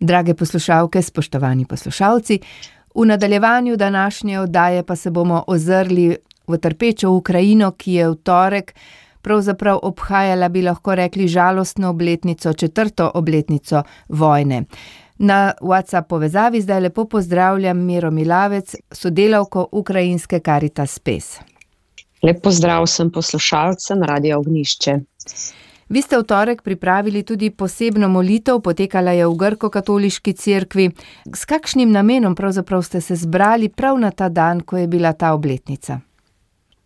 Drage poslušalke, spoštovani poslušalci, v nadaljevanju današnje oddaje pa se bomo ozrli v trpečo Ukrajino, ki je v torek pravzaprav obhajala, bi lahko rekli, žalostno obletnico, 4. obletnico vojne. Na WhatsApp povezavi zdaj lepo pozdravljam Miro Milavec, sodelavko ukrajinske Caritas Spes. Lep pozdrav vsem poslušalcem Radia Ognjišče. Vi ste v torek pripravili tudi posebno molitev, potekala je v Grko-katoliški cerkvi. S kakšnim namenom pravzaprav ste se zbrali prav na ta dan, ko je bila ta obletnica?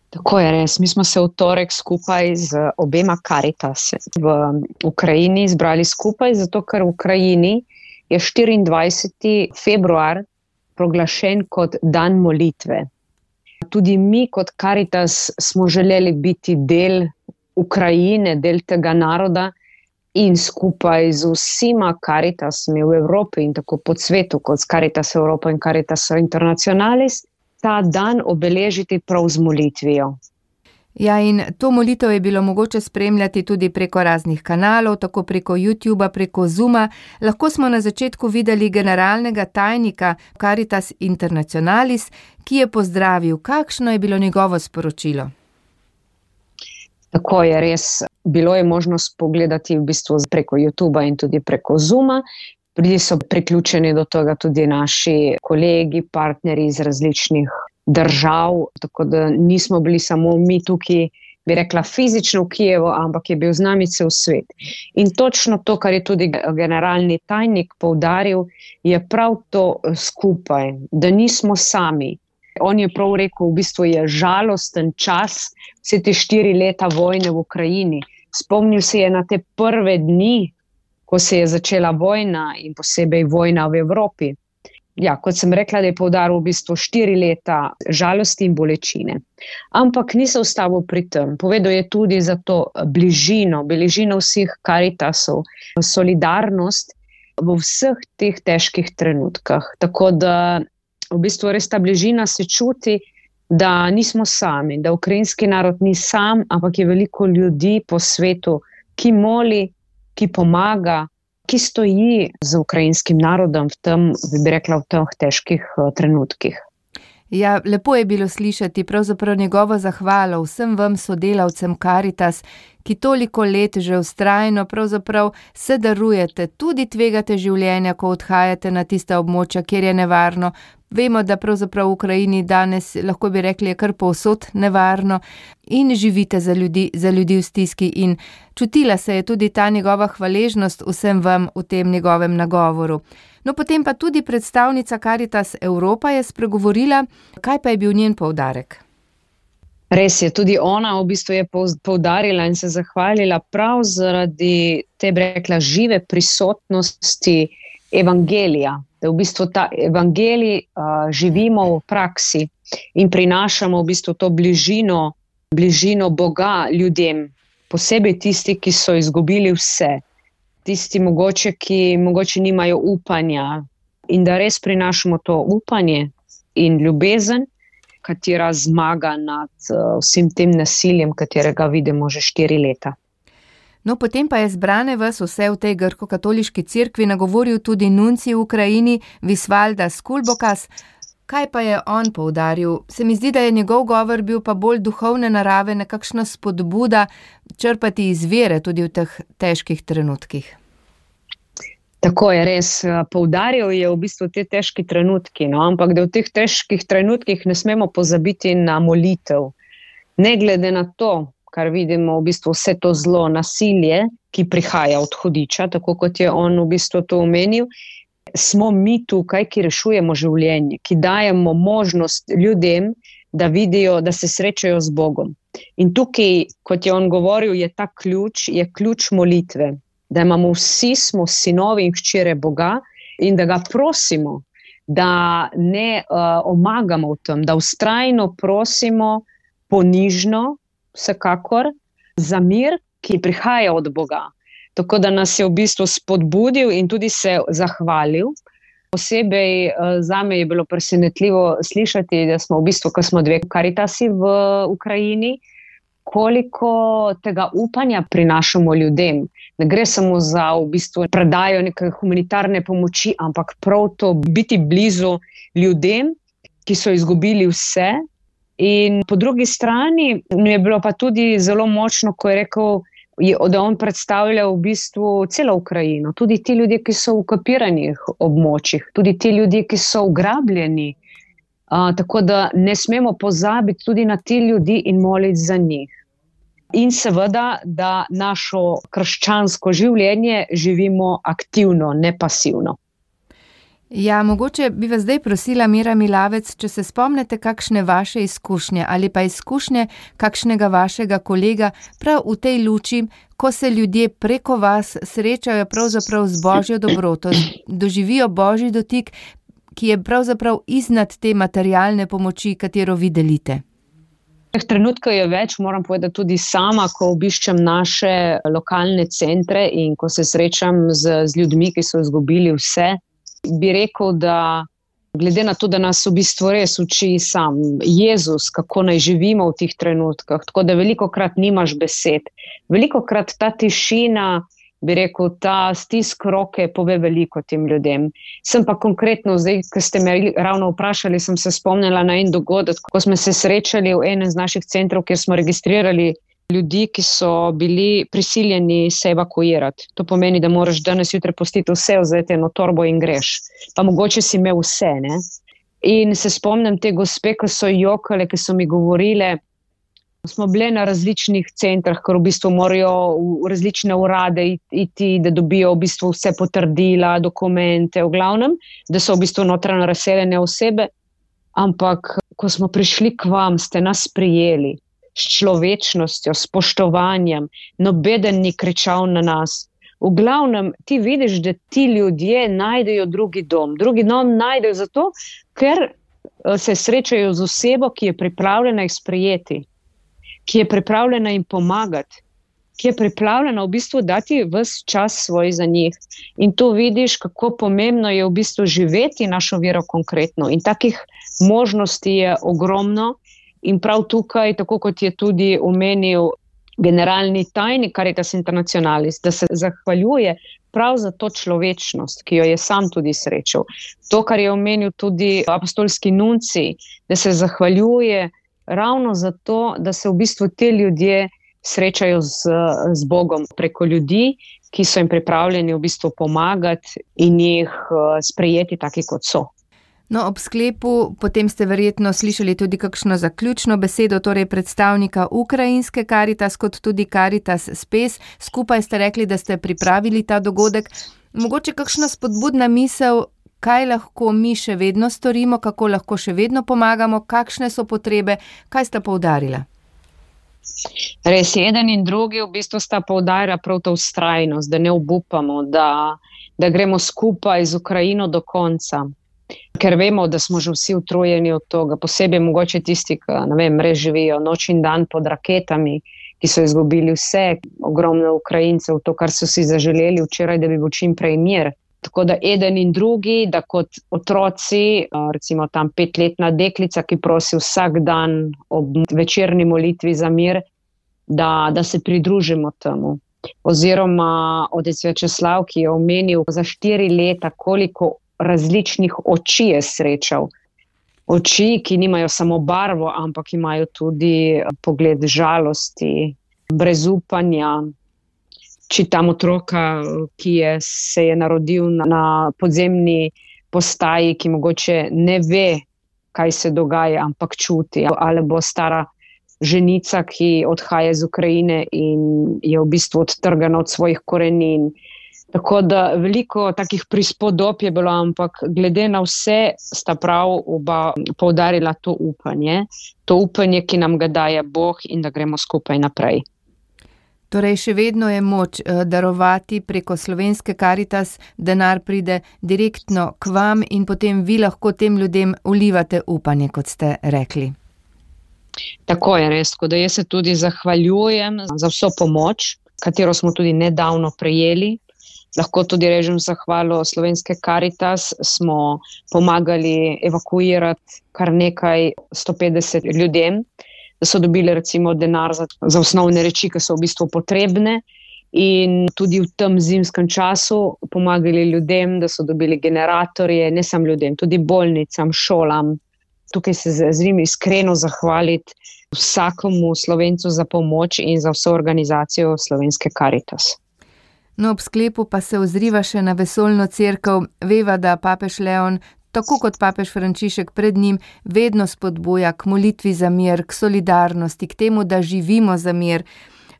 Tako je res. Mi smo se v torek skupaj z obema Caritas v Ukrajini zbrali skupaj, zato ker v Ukrajini je 24. februar proglašen kot dan molitve. Tudi mi kot Caritas smo želeli biti del Ukrajine, del tega naroda in skupaj z vsema Caritasmi v Evropi in tako po svetu, kot s Caritas Europa in Caritas Internationalis, ta dan obeležiti prav z molitvijo. Ja, in to molitev je bilo mogoče spremljati tudi preko raznih kanalov, tako preko YouTubea, preko Zooma. Lahko smo na začetku videli generalnega tajnika Caritas Internationalis, ki je pozdravil. Kakšno je bilo njegovo sporočilo? Tako je res. Bilo je možnost pogledati v bistvu preko YouTubea in tudi preko Zooma. Bili so priključeni do tega tudi naši kolegi, partnerji iz različnih držav, tako da nismo bili samo mi tukaj, bi rekla, fizično v Kijevu, ampak je bil z nami cel svet. In točno to, kar je tudi generalni tajnik poudaril, je prav to skupaj, da nismo sami. On je prav rekel, v bistvu je žalosten čas, vse te 4 leta vojne v Ukrajini. Spomnil se je na te prve dni, ko se je začela vojna in posebej vojna v Evropi. Ja, kot sem rekla, da je poudaril v bistvu 4 leta žalosti in bolečine. Ampak ni se ustavil pri tem. Povedal je tudi za to bližino vseh Caritasov, solidarnost v vseh teh težkih trenutkah. Tako da v bistvu res ta bližina se čuti, da nismo sami, da ukrajinski narod ni sam, ampak je veliko ljudi po svetu, ki moli, ki pomaga, ki stoji z ukrajinskim narodom v tem, bi rekla, v teh težkih trenutkih. Ja, lepo je bilo slišati pravzaprav njegovo zahvalo vsem vam sodelavcem Caritas, ki toliko let že vztrajno pravzaprav se darujete, tudi tvegate življenja, ko odhajate na tista območja, kjer je nevarno. Vemo, da pravzaprav v Ukrajini danes, lahko bi rekli, je kar povsod nevarno in živite za ljudi v stiski in čutila se je tudi ta njegova hvaležnost vsem vam v tem njegovem nagovoru. No, potem pa tudi predstavnica Caritas Europa je spregovorila, kaj pa je bil njen poudarek? Res je, tudi ona v bistvu je poudarila in se zahvalila prav zaradi te, bi rekla, žive prisotnosti evangelija. Da v bistvu ta evangelij živimo v praksi in prinašamo v bistvu to bližino Boga ljudem, posebej tisti, ki so izgubili vse, tisti ki mogoče nimajo upanja in da res prinašamo to upanje in ljubezen, katera zmaga nad vsem tem nasiljem, katerega vidimo že 4 leta. No, potem pa je zbrane vas vse v tej Grko-katoliški cerkvi nagovoril tudi nuncij v Ukrajini, Visvaldas Kulbokas. Kaj pa je on poudaril? Se mi zdi, da je njegov govor bil pa bolj duhovne narave, nekakšna spodbuda črpati iz vere tudi v teh težkih trenutkih. Tako je res. Poudaril je v bistvu te težki trenutki, no? Ampak da v teh težkih trenutkih ne smemo pozabiti na molitev. Ne glede na to, kar vidimo v bistvu vse to zlo, nasilje, ki prihaja od hudiča, tako kot je on v bistvu to omenil, smo mi tukaj, ki rešujemo življenje, ki dajemo možnost ljudem, da vidijo, da se srečajo z Bogom. In tukaj, kot je on govoril, je ta ključ, je ključ molitve, da imamo vsi, smo sinovi in hčere Boga in da ga prosimo, da ne omagamo v tem, da vztrajno prosimo ponižno, vsekakor, za mir, ki prihaja od Boga. Tako da nas je v bistvu spodbudil in tudi se zahvalil. Posebej zame je bilo presenetljivo slišati, da smo v bistvu, ko smo 2 Caritasi v Ukrajini, koliko tega upanja prinašamo ljudem. Ne gre samo za v bistvu predajo neke humanitarne pomoči, ampak prav to biti blizu ljudem, ki so izgubili vse. In po drugi strani mi je bilo pa tudi zelo močno, ko je rekel, da on predstavlja v bistvu celo Ukrajino, tudi ti ljudje, ki so v okupiranih območjih, tudi ti ljudje, ki so ugrabljeni. Tako da ne smemo pozabiti tudi na ti ljudi in moliti za njih. In seveda, da našo krščansko življenje živimo aktivno, ne pasivno. Ja, mogoče bi vas zdaj prosila, Mira Milavec, če se spomnite kakšne vaše izkušnje ali pa izkušnje kakšnega vašega kolega prav v tej luči, ko se ljudje preko vas srečajo pravzaprav z Božjo dobroto, doživijo Božji dotik, ki je pravzaprav iznad te materialne pomoči, katero vi delite. Trenutkov je več, moram povedati tudi sama, ko obiščem naše lokalne centre in ko se srečam z ljudmi, ki so izgubili vse, bi rekel, da glede na to, da nas v bistvu res uči sam Jezus, kako naj živimo v teh trenutkah, tako da velikokrat nimaš besed. Velikokrat ta tišina, bi rekel, ta stisk roke pove veliko tem ljudem. Sem pa konkretno, zdaj, ko ste me ravno vprašali, sem se spomnila na en dogodek, ko smo se srečali v enem z naših centrov, kjer smo registrirali ljudi, ki so bili prisiljeni se evakuirati. To pomeni, da moraš danes jutri pustiti vse, vzeti eno torbo in greš. Pa mogoče si imel vse, ne? In se spomnim te gospe, ki so jokale, ki so mi govorile, smo bile na različnih centrah, ker v bistvu morajo v različne urade iti, da dobijo v bistvu vse potrdila, dokumente, v glavnem, da so v bistvu notranje razseljene osebe. Ampak, ko smo prišli k vam, ste nas prijeli s človečnostjo, spoštovanjem, nobeden ni kričal na nas. V glavnem, ti vidiš, da ti ljudje najdejo drugi dom. Drugi dom najdejo zato, ker se srečajo z osebo, ki je pripravljena jih sprejeti, ki je pripravljena jim pomagati, ki je pripravljena v bistvu dati ves čas svoj za njih. In tu vidiš, kako pomembno je v bistvu živeti našo vero konkretno. In takih možnosti je ogromno. In prav tukaj, tako kot je tudi omenil generalni tajnik Caritas Internationalis, da se zahvaljuje prav za to človečnost, ki jo je sam tudi srečal. To, kar je omenil tudi apostolski nunci, da se zahvaljuje ravno za to, da se v bistvu te ljudje srečajo z Bogom preko ljudi, ki so jim pripravljeni v bistvu pomagati in jih sprejeti taki, kot so. No, ob sklepu, potem ste verjetno slišali tudi kakšno zaključno besedo, torej predstavnika ukrajinske Caritas, kot tudi Caritas Spes. Skupaj ste rekli, da ste pripravili ta dogodek. Mogoče kakšna spodbudna misel, kaj lahko mi še vedno storimo, kako lahko še vedno pomagamo, kakšne so potrebe, kaj sta poudarila? Res, eden in drugi v bistvu sta poudarila prav to vztrajnost, da ne obupamo, da gremo skupaj z Ukrajino do konca. Ker vemo, da smo že vsi utrujeni od toga, posebej mogoče tisti, ki, ne vem, res živijo noč in dan pod raketami, ki so izgubili vse, ogromno Ukrajincev, to, kar so si zaželeli včeraj, da bi bil čim prej mir. Tako da eden in drugi, da kot otroci, recimo tam 5-letna deklica, ki prosi vsak dan ob večerni molitvi za mir, da se pridružimo temu. Oziroma otec Večeslav, ki je omenil za 4 leta, koliko različnih oči je srečal. Oči, ki nimajo samo barvo, ampak imajo tudi pogled žalosti, brezupanja. Čitam otroka, ki se je narodil na podzemni postaji, ki mogoče ne ve, kaj se dogaja, ampak čuti. Ali bo stara ženica, ki odhaja iz Ukrajine in je v bistvu odtrgana od svojih korenin. Tako da veliko takih prispodob je bilo, ampak glede na vse sta prav oba poudarila to upanje, ki nam ga daje Bog in da gremo skupaj naprej. Torej, še vedno je moč darovati preko slovenske Caritas, denar pride direktno k vam in potem vi lahko tem ljudem vlivate upanje, kot ste rekli. Tako je res, da jaz se tudi zahvaljujem za vso pomoč, katero smo tudi nedavno prejeli. Lahko tudi režem zahvalo slovenske Caritas, smo pomagali evakuirati kar nekaj 150 ljudem, da so dobili recimo denar za osnovne reči, ki so v bistvu potrebne. in tudi v tem zimskem času pomagali ljudem, da so dobili generatorje, ne samo ljudem, tudi bolnicam, šolam. Tukaj se želim iskreno zahvaliti vsakemu Slovencu za pomoč in za vso organizacijo Slovenske Karitas. No, ob sklepu pa se ozriva še na vesoljno cerkev. Veva, da papež Leon, tako kot papež Frančišek pred njim, vedno spodbuja k molitvi za mir, k solidarnosti, k temu, da živimo za mir.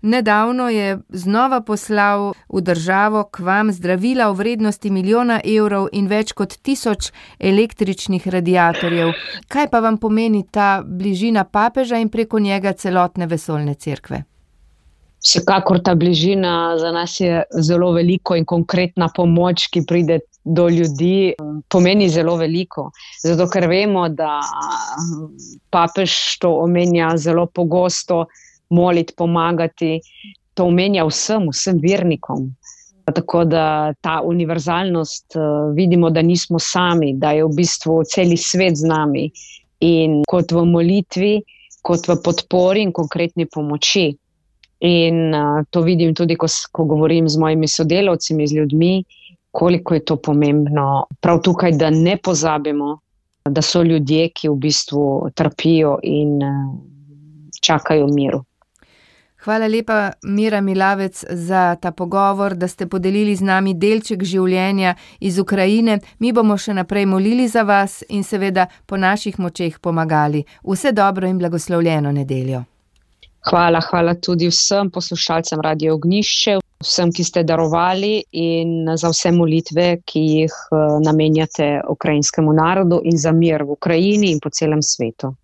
Nedavno je znova poslal v državo k vam zdravila v vrednosti 1 milijona evrov in več kot 1000 električnih radiatorjev. Kaj pa vam pomeni ta bližina papeža in preko njega celotne vesoljne cerkve? Vsekakor ta bližina za nas je zelo veliko in konkretna pomoč, ki pride do ljudi, pomeni zelo veliko. Zato, ker vemo, da papež to omenja zelo pogosto, moliti, pomagati, to omenja vsem vernikom. Tako da ta univerzalnost, vidimo, da nismo sami, da je v bistvu celi svet z nami. In kot v molitvi, kot v podpori in konkretni pomoči. In to vidim tudi, ko govorim z mojimi sodelavci, z ljudmi, koliko je to pomembno. Prav tukaj, da ne pozabimo, da so ljudje, ki v bistvu trpijo in čakajo miru. Hvala lepa, Mira Milavec, za ta pogovor, da ste podelili z nami delček življenja iz Ukrajine. Mi bomo še naprej molili za vas in seveda po naših močeh pomagali. Vse dobro in blagoslovljeno nedeljo. Hvala tudi vsem poslušalcem Radio Ognjišče, vsem, ki ste darovali in za vse molitve, ki jih namenjate ukrajinskemu narodu in za mir v Ukrajini in po celem svetu.